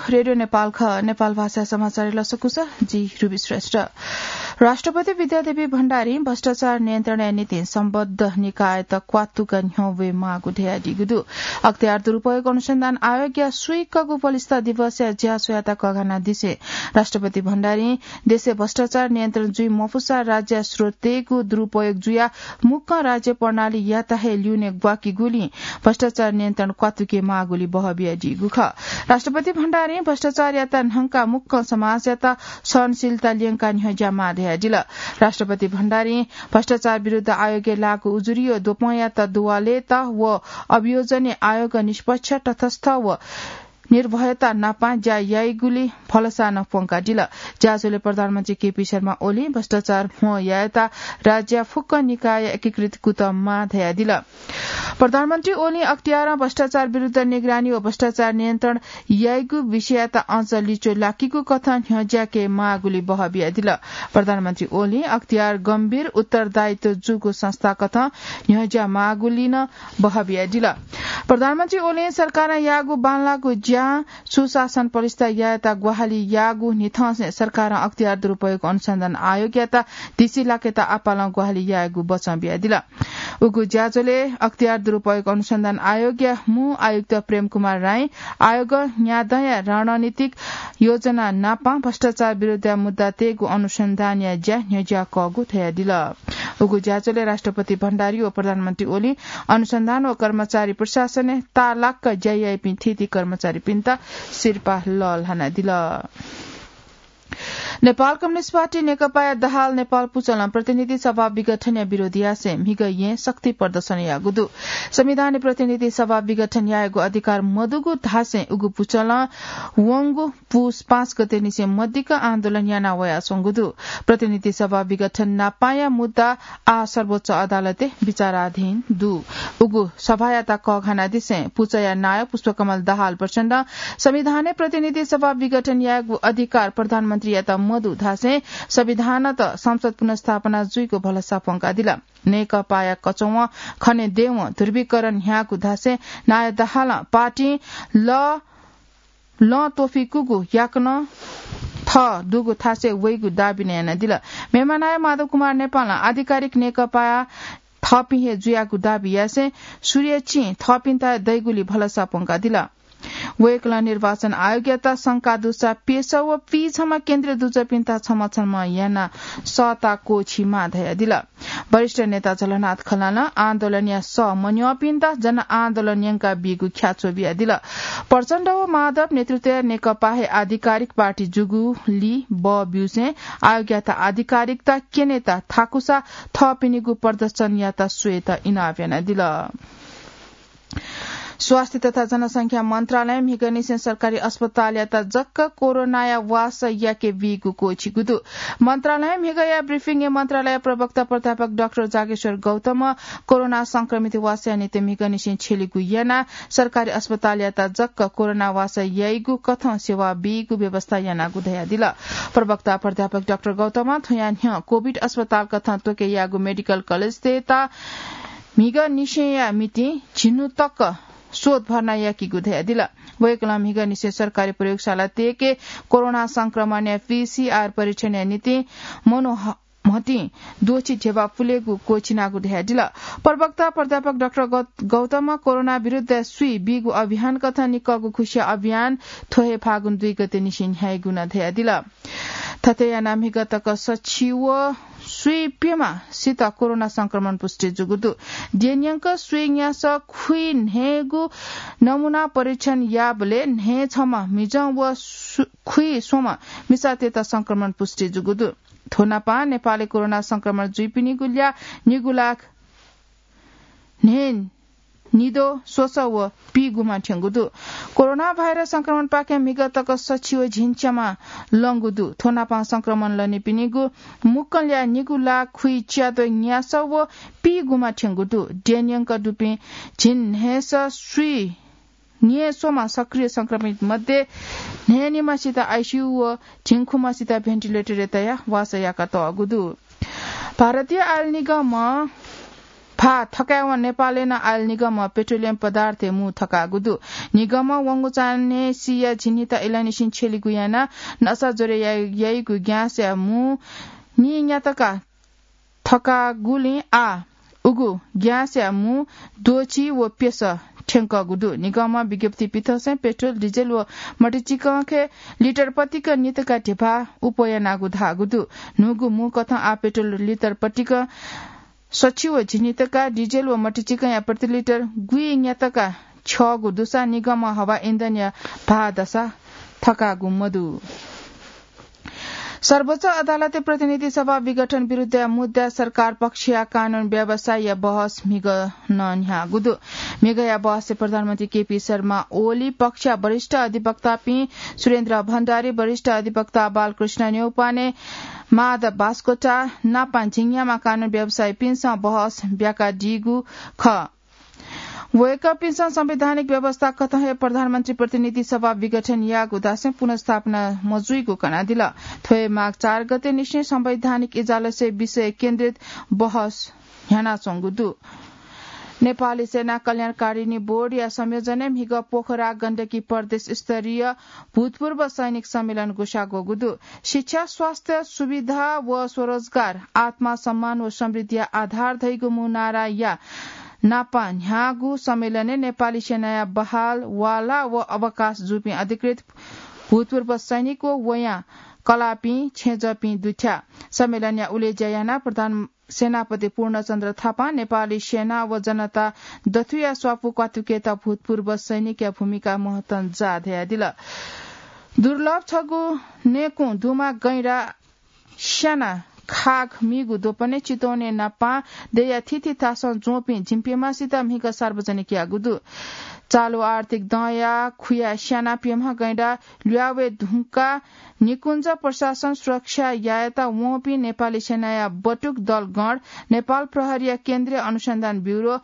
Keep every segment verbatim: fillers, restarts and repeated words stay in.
रेडियो नेपाल ख, नेपाल भाषा समाचार लसकुस, जि रुबी श्रेष्ठ। राष्ट्रपति विद्यादेवी भण्डारी भ्रष्टाचार नियन्त्रणया निंतिं सम्बद्ध निकायत क्वातुक न्ह्यः वये माःगु धयादीगु दु। अख्तियार दुरुपयोग अनुसन्धान आयोगया स्वीकःगु बलिस्था दिवसया ज्याझ्वःयात कःघानादिसें राष्ट्रपति भण्डारीं देशय् भ्रष्टाचार नियन्त्रण जुइ मफुसा राज्य स्रोतय्‌गु दुरुपयोग जुयाः मुक्कं राज्य प्रणालीयात हे ल्यूने ग्वाकीगुलिं भ्रष्टाचार नियन्त्रण क्वातुके माःगुली बहः बियादीगु खः। राष्ट्रपति भण्डारीं भ्रष्टाचारयात न्हंका मुक्कं समाजयात सहनशीलता ल्यंका न्ह्यज्याः माः धयादिल। राष्ट्रपति भण्डारीं भ्रष्टाचार विरुद्ध आयोगय् लाःगु उजुरी व द्वपंयात दुवालेत व अभियोजनय् आयोग निष्पक्ष, तटस्थ व निर्भयता नापं ज्या याइगुली भलसा नं प्वंकादिल। ज्याझ्वलय् प्रधानमन्त्री केपी शर्मा ओलीं भ्रष्टाचार म्हो यायेत राज्य फुक्क निकाय एकीकृत कुतः माः धयादिल। प्रधानमन्त्री ओलीं अख्तियारं भ्रष्टाचार विरुद्ध निगरानी व भ्रष्टाचार नियन्त्रण याइगु विषययात अझ लिच्वः लाकीगु कथं न्ह्यज्याके माःगुली बहः बियादिल। प्रधानमन्त्री ओलीं अख्तियार गम्भीर उत्तरदायित्व जूगु संस्था कथं न्ह्यज्या माःगुली नं बहः बियादिल। प्रधानमन्त्री ओलीं सरकारं याःगु बांलाःगु ज्यां सुशासन पलिस्था यायेत ग्वाहालि याःगु न्हिथंसें सरकारं अख्तियार दुरुपयोग अनुसन्धान आयोगयात दिसि लाकेत आपालं ग्वाहालि यायेगु बचं बियादिल। उगु ज्याझ्वलय् अख्तियार दुरुपयोग अनुसन्धान आयोगया मू आयुक्त प्रेम कुमार राईं आयोग न्यादँया रणनीतिक योजना नापं भ्रष्टाचार विरुद्धया मुद्दातय्‌गु अनुसन्धानया ज्या न्ह्यज्याकःगु धयादिल। उगु ज्याझ्वलय् राष्ट्रपति भण्डारी व प्रधानमन्त्री ओलीं अनुसन्धान व कर्मचारी प्रशासनय् ताःलाक ज्या याइपिं थीथी कर्मचारीपिन्त सिरपाः लःल्हानादिल। नेपाल कम्युनिस्ट पार्टी नेकपाया दाहाल नेपाल पुचलं प्रतिनिधि सभा विघटनया विरोध यासें म्हिगः येँ शक्ति प्रदर्शन याःगु दु। संविधानय् प्रतिनिधि सभा विघटन यायेगु अधिकार मदुगु धासें उगु पुचलं वंगु पुस पाँच गते निसें मदिक्क आन्दोलन याना वयाच्वंगु दु। प्रतिनिधि सभा विघटन नापांया मुद्दा आः सर्वोच्च अदालतय् विचाराधीन दु। उगु सभायात कःघानादिसें पुचया नायः पुष्पकमल दाहाल प्रचण्डं संविधानय् प्रतिनिधि सभा विघटन यायेगु अधिकार प्रधानमन्त्रीयात मदु धासें संविधानत संसद पुनर्स्थापना जुइगु भलसा प्वंकादिल। नेकपाया कचवं खनेदयेवं ध्रुवीकरण न्ह्याःगु धासें नायः दाहालं पार्टीं ल लँ त्वफिकूगु याकनं थः दुगु थासय् वइगु दाबी नं यानादिल। मेम्ह नायः माधव कुमार नेपालं आधिकारिक नेकपाया थःपिं हे जुयागु दाबी यासें सूर्य चिं थःपिन्त दइगुली भलसा प्वंकादिल। वय्‌कलं निर्वाचन आयोगयात शंका दुसा प्यसः व पीछम्ह केन्द्रीय दुजःपिन्त छम्ह छम्ह यानाः सःता क्वःछी माः धयादिल। वरिष्ठ नेता झलनाथ खलनां आन्दोलनया सः मन्यंपिन्त जनआन्दोलन यंकाबीगु ख्याच्वः बियादिल। प्रचण्ड व माधव नेतृत्वया नेकपा हे आधिकारिक पार्टी जूगुली बः ब्यूसें आयोगयात आधिकारिकता क्यनेत थाकुसा थःपिनिगु प्रदर्शनयात स्वयेत इनाप यानादिल। स्वास्थ्य तथा जनसंख्या मन्त्रालयं म्हिगःनिसें सरकारी अस्पतालयात जक कोरोनाया वासः याके बीगु क्वःछिगु दु। मन्त्रालयं म्हिगःया ब्रिफिङय् मन्त्रालय प्रवक्ता प्राध्यापक डाक्टर जागेश्वर गौतमं कोरोना संक्रमित वासःया निंतिं म्हिगःनिसें छ्यलिगु यानाः सरकारी अस्पतालयात जक कोरोना वासः याइगु कथं सेवा बीगु व्यवस्था यानागु धयादिल। प्रवक्ता प्राध्यापक डाक्टर गौतमं थ्वया न्ह्यः कोभिड अस्पताल कथं त्वके याःगु मेडिकल कलेजतय्‌त म्हिगःनिसेंया निंतिं झिन्हु तक शोध भर्ना याकीगु धयादिल। वय्‌कलं म्हिगःनिसें सरकारी प्रयोगशालातय्‌के कोरोना संक्रमणया पीसीआर परीक्षणया निंतिं मनू ह-, म्हतिं द्वःछि ध्यबा पुलेगु क्वःछिनागु धयादिल। प्रवक्ता प्राध्यापक डाक्टर गौ-, गौतमं कोरोना विरुद्ध स्वीबीगु अभियान कथं निकःगु खुसिया अभियान थ्व हे फागुन दुई गते निसें न्ह्याइगु नं धयादिल। थथे यानाः म्हिगः तक सछि व स्वीप्यम्हसित कोरोना संक्रमण पुष्टि जूगु दु। द्यःन्यंक स्वीन्यासः खुइन्हय्‌गु नमूना परीक्षण याःबलय् न्हय्‌छम्ह मिजं व सु-, खुइस्वम्ह मिसातय्‌त संक्रमण पुष्टि जूगु दु। थ्व नापं नेपालय् कोरोना संक्रमण जुइपिनिगु ल्याः निगू लाख न्हय् निद्वः स्वसः व पीगुम्ह थ्यंगु दु। कोरोना भाइरस संक्रमणपाखें म्हिगः तक सछि व झिंच्याम्ह लंगु दु। थ्व नापं संक्रमण लनीपिनिगु मुक्कं ल्याः निगू लाख खुइच्याद्वः न्यासः व पीगुम्ह थ्यंगु दु। द्यःन्यंक दुपिं झिंन्हय्‌सः स्वीन्यय्‌स्वम्ह सक्रिय संक्रमित मध्ये न्हय्‌निम्हसित आइसियु व झिंखुम्हसित भेन्टिलेटरय् तयाः वासः याकातःगु दु। भारतीय आयल निगमं भाः थकायेवं नेपालय् नं आयल निगमं पेट्रोलियम पदार्थय् मू थकाःगु दु। निगमं वंगु चान्हय् सिया झिंनिता इलंनिसें छ्यलिगु यानाः नसा ज्वरय् याइ-, याइगु ग्याँसया मू नीन्यातका थकाःगुलिं आः उगु ग्याँसया मू द्वःछि व प्यसः थ्यंकःगु दु। निगमं विज्ञप्ति पिथंसें पेट्रोल, डिजेल व मटिचिकंखे लिटर पतिक नितका ध्यबा उप्वः यानागु धाःगु दु। न्हूगु मू कथं आः पेट्रोल लिटर पतिक सछि व झिंनितका, डिजेल व मटिचिकंया प्रति लिटर गुइन्यातका छ्यःगु दुसा निगमं हवा इन्धनया भाः दसा थकाःगु मदु। सर्वोच्च अदालतय् प्रतिनिधि सभा विघटन विरुद्धया मुद्दाय् सरकार पक्षया कानून व्यवसायया बहस म्हिगः नं न्ह्याःगु दु। म्हिगःया बहसय् प्रधानमन्त्री केपी शर्मा ओली, पक्षया वरिष्ठ अधिवक्तापिं सुरेन्द्र भण्डारी, वरिष्ठ अधिवक्ता बालकृष्ण न्यौपाने, माधव बास्कोटा नापं झिंन्याम्ह कानून व्यवसायीपिन्सं बहस ब्याकादीगु खः। वय्कःपिन्सं संवैधानिक व्यवस्था कथं हे प्रधानमन्त्री प्रतिनिधि सभा विघटन याःगु धासें पुनर्स्थापना मजुइगु कनादिल। थ्व हे माघ चार गते निसें संवैधानिक इजलासय् विषय केन्द्रित बहस न्ह्यानाच्वंगु दु। नेपाली सेना कल्याणकारिणी बोर्डया संयोजनय् म्हिगः पोखरा गण्डकी प्रदेश स्तरीय भूतपूर्व सैनिक सम्मेलन ग्वसाः ग्वःगु दु। शिक्षा, स्वास्थ्य सुविधा व स्वरोजगार, आत्मसम्मान व समृद्धिया आधार धइगु मू नाराया नापं न्ह्याःगु सम्मेलनय् नेपाली सेनाया बहाल, वाला व अवकाश जूपिं अधिकृत, भूतपूर्व सैनिक व वयां कलापिं, छेँजःपिं दुथ्याः। सम्मेलनया उलेज्या यानाः प्रधान सेनापति पूर्णचन्द्र थापां नेपाली सेना व जनता दथुया स्वापू क्वातुकेत भूतपूर्व सैनिकया भूमिका महत्वं जा धयादिल। दुर्लभ छगू नेकुं दुमा गैंडा स्याना खाग मीगु द्वपनय् चितवनय् नापं देया थीथी थासं ज्वंपिं जिम्पिमासित म्हिगः सार्वजनिक याःगु दु। चालु आर्थिक दँया खुया स्याना प्यम्ह गैंडा ल्वावय् धुंकाः निकुञ्ज प्रशासन सुरक्षा यायेत वंपिं नेपाली सेनाया बटुक दल गण, नेपाल प्रहरीया केन्द्रीय अनुसन्धान ब्युरो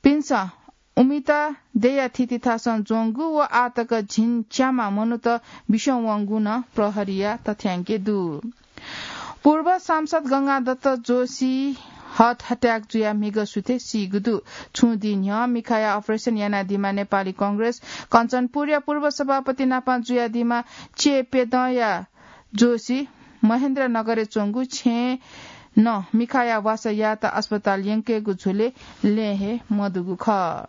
पिन्सं उमिता देया थीथी थासं ज्वंगु व आःतक झिंच्याम्ह मनूत बिस्युं वंगु नं प्रहरीया तथ्यांकय् दु। पूर्व सांसद गंगादत्त जोशी heart attack जुयाः म्हिगः सुथय् सीगु दु। छुं दिं न्ह्यः मिखाया operation यानादीम्ह नेपाली कांग्रेस कञ्चनपुरया पूर्व सभापति नापं जुयादीम्ह चेप्यदँया जोशी महेन्द्रनगरय् च्वंगु छेँय् नं मिखाया वासः यायेत अस्पताल यंकेगु झ्वलय् लँय् हे मदुगु खः।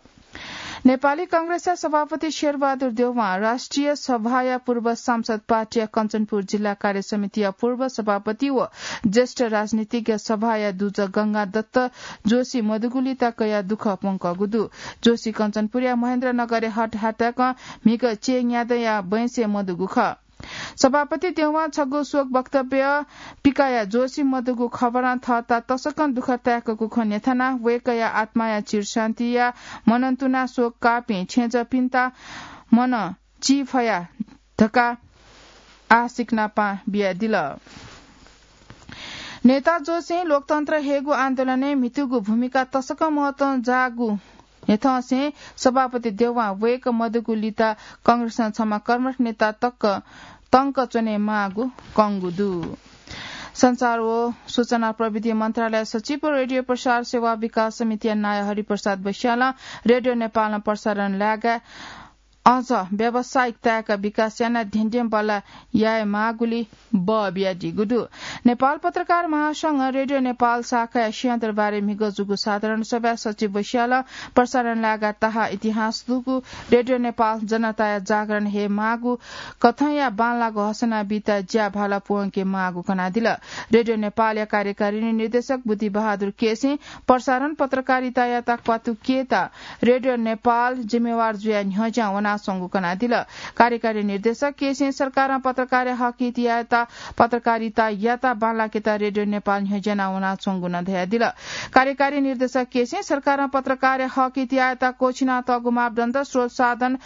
नेपाली कांग्रेसया सभापति शेरबहादुर देउवां राष्ट्रिय सभाया पूर्व सांसद, पार्टीया कञ्चनपुर जिल्ला कार्य समितिया पूर्व सभापति व ज्येष्ठ राजनीतिज्ञ सभाया दुजः गंगादत्त जोशी मदुगुलिइ तकया दुःख प्वंकःगु दु। जोशी कञ्चनपुरया महेन्द्रनगरय् heart attack-ं म्हिगः चय् न्यादँया बैंसय् मदुगु खः। सभापति देउवां छगू शोक वक्तव्य पिकाया जोशी मदुगु खबरं थःत तसकं दुःख ताय्कूगु खँ न्ह्यथनाः वय्कःया आत्माया चिरशान्तिया मनंतुनाः शोक काःपिं छेँजःपिन्त मनं चिफया धकाः आशिक नापं बियादिल। नेता जोशीं लोकतन्त्र हयेगु आन्दोलनय् म्हितूगु भूमिका तसकं महत्वं जाःगु न्ह्यथंसें सभापति देउवां वय्कः मदुगुलिइ कांग्रेसं छम्ह कर्मठ नेता तक तंक च्वनेमाःगु कंगु दु। संचार व सूचना प्रविधि मन्त्रालय सचिव व रेडियो प्रसार सेवा विकास समितिया नायः हरिप्रसाद वैश्यालं रेडियो नेपालं प्रसारण लाय्काः अझ व्यावसायिक ताय्का विकास यानाः धेंधें बल्लाः यायेमाःगुलिइ बः बियादीगु दु। नेपाल पत्रकार महासंघं रेडियो नेपाल शाखाया सिंहदरबारय् म्हिगः जूगु साधारण सभाय् सचिव वैश्यालं प्रसारण लाय्काः ताहाः इतिहास दुगु रेडियो नेपाल जनताया जागरण हयेमाःगु कथंया बांलाःगु हसना बीत ज्या भाला प्वंकेमाःगु कनादिल। रेडियो नेपालया कार्यकारिणी निर्देशक बुद्धिबहादुर केसीं प्रसारण पत्रकारितायात क्वातुकेत रेडियो नेपाल जिम्मेवार जुयाः न्ह्यज्यां वनाच्वंगु कनादिल। कार्यकारी निर्देशक केसीं सरकारं पत्रकारया हक हित यायेत पत्रकारितायात बांलाकेत रेडियो नेपाल न्ह्यज्यानाः वनाच्वंगु नं धयादिल। कार्यकारी निर्देशक केसीं सरकारं पत्रकारया हक हित यायेत क्वःछिनातःगु मापदण्ड, स्रोत साधन,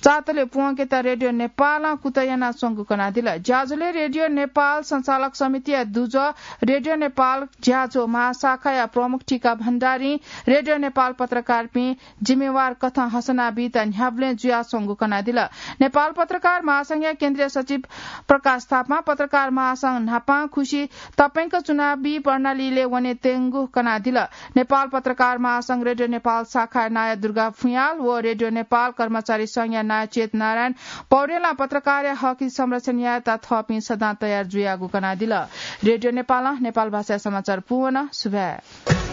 चातले पुवंकेत रेडियो नेपालं कुतः यानाच्वंगु कनादिल। ज्याझ्वलय् रेडियो नेपाल संचालक समितिया दुजः, रेडियो नेपाल ज्याझ्वः महाशाखाया प्रमुख टीका भण्डारीं रेडियो नेपाल पत्रकारपिं जिम्मेवार कथं हसना बीत न्ह्याबलें जुयाच्वंगु कनादिल। नेपाल पत्रकार महासंघया केन्द्रीय सचिव प्रकाश थापां पत्रकार महासंघ न्हापां खुसी तपंक चुनावी प्रणालीलय् वनेत्यंगु कनादिल। नेपाल पत्रकार महासंघ रेडियो नेपाल शाखाया नायः दुर्गा फुयाल व रेडियो नेपाल कर्मचारी संघया नायः चेत नारायण पौडेलं पत्रकारया हकया संरक्षण यायेत थःपिं सदां तयार जुयागु कनादिल। रेडियो नेपालं नेपाल भाषाया समाचार पूवन। सुभाय्।